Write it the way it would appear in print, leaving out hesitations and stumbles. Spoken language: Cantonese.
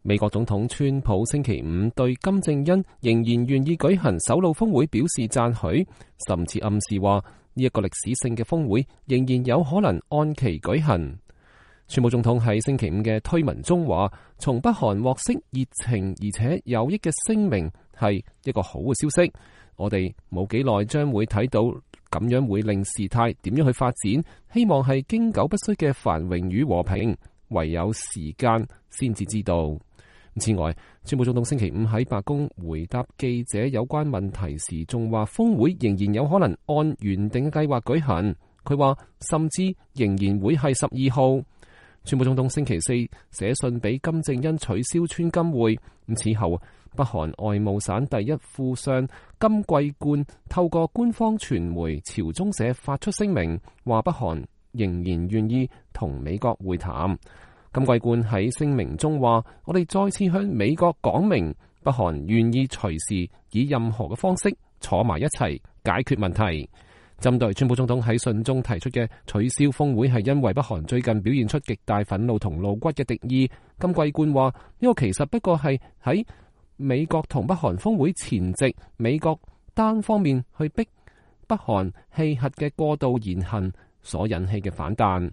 美國總統川普星期五對金正恩仍然願意舉行首腦峰會表示讚許，甚至暗示話呢一個歷史性嘅峰會仍然有可能按期舉行。川普總統喺星期五嘅推文中話，從北韓獲悉熱情而且有益嘅聲明係一個好嘅消息，我哋冇幾耐將會睇到咁樣會令事態點樣去發展，希望係經久不衰嘅繁榮與和平，唯有時間先至知道。此外，川普總統星期五喺白宮回答記者有關問題時，仲話峰會仍然有可能按原定嘅計劃舉行。佢話甚至仍然會係12號。川普總統星期四寫信俾金正恩取消川金會。此後，北韓外務省第一副相金貴冠透過官方傳媒朝中社發出聲明，話北韓仍然願意同美國會談。金貴冠喺聲明中話，我哋再次向美國講明，北韓願意隨時以任何嘅方式坐埋一齊解決問題。針對川普總統喺信中提出嘅取消峰會係因為北韓最近表現出極大憤怒同露骨嘅敵意，金貴冠話呢個其實不過係喺美國同北韓峰會前夕，美國單方面去逼北韓棄核嘅過度言行所引起嘅反彈。